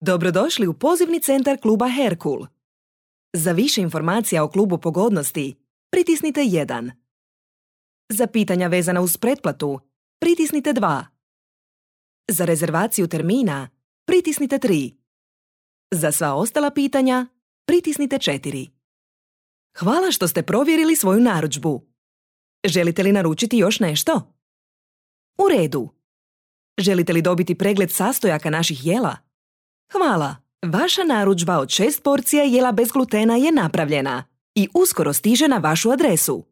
Dobrodošli u pozivni centar kluba Herkul. Za više informacija o klubu Pogodnosti, pritisnite 1. Za pitanja vezana uz pretplatu, pritisnite 2. Za rezervaciju termina, pritisnite 3. Za sva ostala pitanja, pritisnite 4. Hvala što ste provjerili svoju narudžbu. Želite li naručiti još nešto? U redu. Želite li dobiti pregled sastojaka naših jela? Hvala. Vaša narudžba od 6 porcija jela bez glutena je napravljena i uskoro stiže na vašu adresu.